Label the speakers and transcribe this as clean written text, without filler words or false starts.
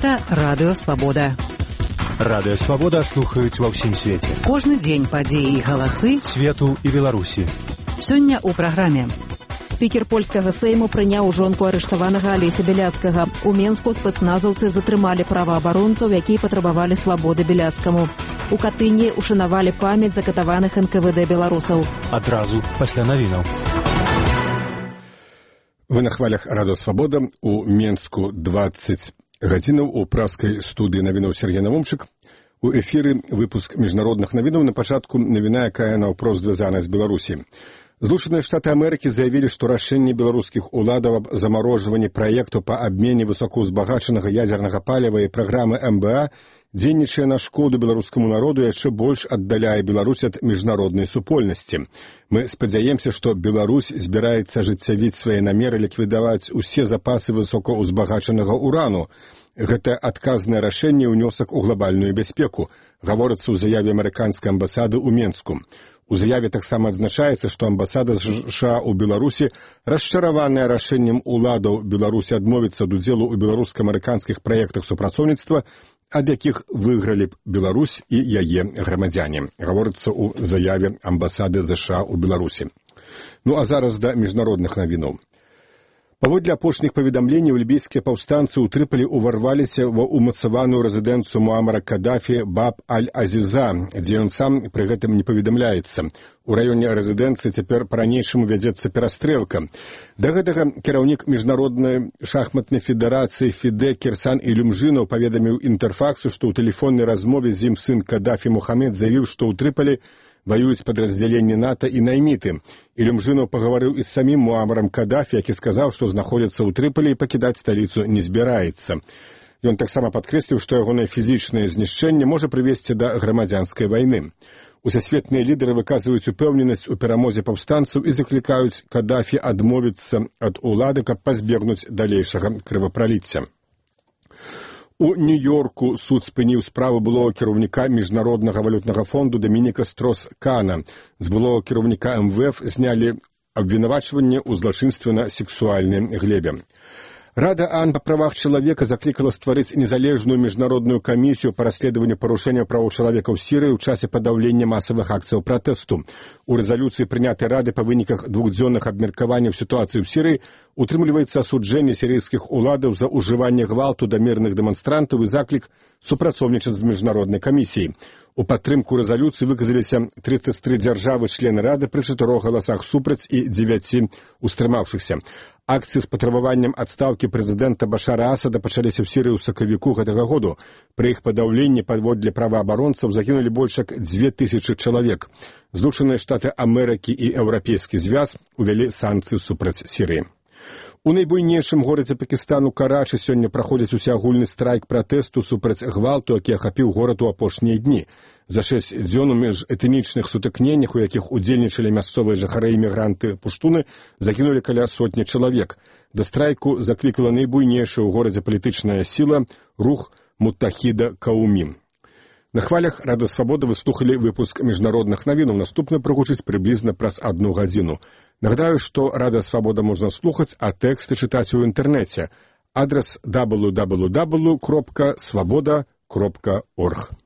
Speaker 1: Гэта Радыё Свабода.
Speaker 2: Радыё Свабода слухаюць ва ўсім свеце.
Speaker 1: Кожны дзень падзеі і галасы
Speaker 2: свету і Беларусі.
Speaker 1: Сёння ў праграме.
Speaker 3: Спікер польскага сейму прыняў жонку арыштаванага Алеся Беляцкага. У Менску спецназаўцы затрымалі праваабаронцаў, якія патрабавалі свабоды Беляцкаму. У Катыні ушанавалі памяць закатаваных НКВД беларусаў.
Speaker 2: Адразу пасля навінаў.
Speaker 4: Вы на хвалях Радыё Свабода. У Менску 20 гадзінаў у праскай студыі навінаў Сергей Навумчык. У эфіры выпуск міжнародных навінаў. На пачатку навіна, якая наўпрост звязана з Беларусі. Злучаныя Штаты Амерыкі заявілі, што рашэнне беларускіх уладаў аб замарожванні праекту па абмене высокаўзбагачанага ядзернага паліва і праграмы МБА дзейнічае на шкоду беларускаму народу і яшчэ больш аддаляе Беларусь ад міжнароднай супольнасці. Мы спадзяемся, што Беларусь збіраецца ажыццявіць свае намеры ліквідаваць усе запасы высокаўзбагачанага урану. Гэта адказнае рашэнне ўнёсак у глобальную бяспеку, гаворыцца ў заяве амерыканскай амбасады ў Менску. У заяве таксама адзначаецца, што амбасада США ў Беларусі расчараваная рашэннем уладаў Беларусі адмовіцца ад удзелу ў беларуска-амерыканскіх праектах супрацоўніцтва, ад якіх выйгралі б Беларусь і яе грамадзяне. Гаворыцца ў заяве амбасады США ў Беларусі. Ну а зараз да міжнародных навінаў. Паводле апошніх паведамленняў, лібійскія паўстанцы ў Трыполі ўварваліся ва ўмацаваную рэзідэнцыю Муамара Кадафі Баб-аль-Азіза, дзе ён сам пры гэтым не паведамляецца. У раёне рэзідэнцыі цяпер па-ранейшаму вядзецца перастрэлка. Да гэтага кіраўнік міжнароднай шахматнай федэрацыі ФІДЭ Кірсан Ілюмжынаў паведаміў Інтэрфаксу, што ў тэлефоннай размове з ім сын Кадафі Мухамед заявіў, што ў Трыполі ваююць падраздзяленні НАТО і найміты. Ілюмжынаў пагаварыў і з самім Муамарам Кадафі, які сказаў, што знаходзіцца ў Трыполі і пакідаць сталіцу не збіраецца. Ён таксама падкрэсліў, што ягонае фізічнае знішчэнне можа прывесці да грамадзянскай вайны. Усесветныя лідары выказваюць упэўненасць у перамозе паўстанцаў і заклікаюць Кадафі адмовіцца ад улады, каб пазбегнуць далейшага крывапраліцця. У Нью-Йорку суд спыніў справу былога кіраўніка Міжнароднага валютнага фонду Дамініка Строс-Кана. З былога кіраўніка МВФ знялі абвінавачванне ў злачынстве на сексуальнай глебе. Рада ААН па правах чалавека заклікала стварыць незалежную міжнародную камісію па расследаванню парушэнняў правоў чалавека ў Сірыі ў часе падаўлення масавых акцыяў пратэсту. У рэзалюцыі, прынятай Рады па выніках двухдзённых абмеркаванняў сітуацыі ў Сірыі, утрымліваецца асуджэнне сірыйскіх уладаў за ўжыванне гвалту да мірных дэманстрантаў і заклік супрацоўнічаць з міжнароднай камісіяй. У падтрымку рэзалюцыі выказаліся 33 дзяржавы-члены Рады пры 4 галасах супраць і 9 устрымаўшыхся. Акцыі з патрабаваннем адстаўкі прэзідэнта Башара Асада пачаліся ў Сірыі ў сакавіку гэтага году. Пры іх падаўленні паводле праваабаронцаў загінулі больш як 2000 чалавек. Злучаныя Штаты Амерыкі і Еўрапейскі звяз увялі санкцыі супраць Сірыі. У найбуйнейшым горадзе Пакістану Карачы сёння праходзіць усеагульны страйк пратэсту супраць гвалту, які ахапіў горад у апошнія дні. За 6 дзён у міжэтнічных сутыкненнях, у якіх удзельнічалі мясцовыя жыхары і мігранты пуштуны, загінулі каля 100 чалавек. Да страйку заклікала найбуйнейшая ў горадзе палітычная сіла рух Муттахіда Каумі. На хвалях Радыё Свабода вы слухалі выпуск міжнародных навінаў. Наступны прагучыць прыблізна праз 1 гадзіну. Нагадаю, што Радыё Свабода можна слухаць, а тэксты чытаць у інтэрнэце. Адрас www.svoboda.org.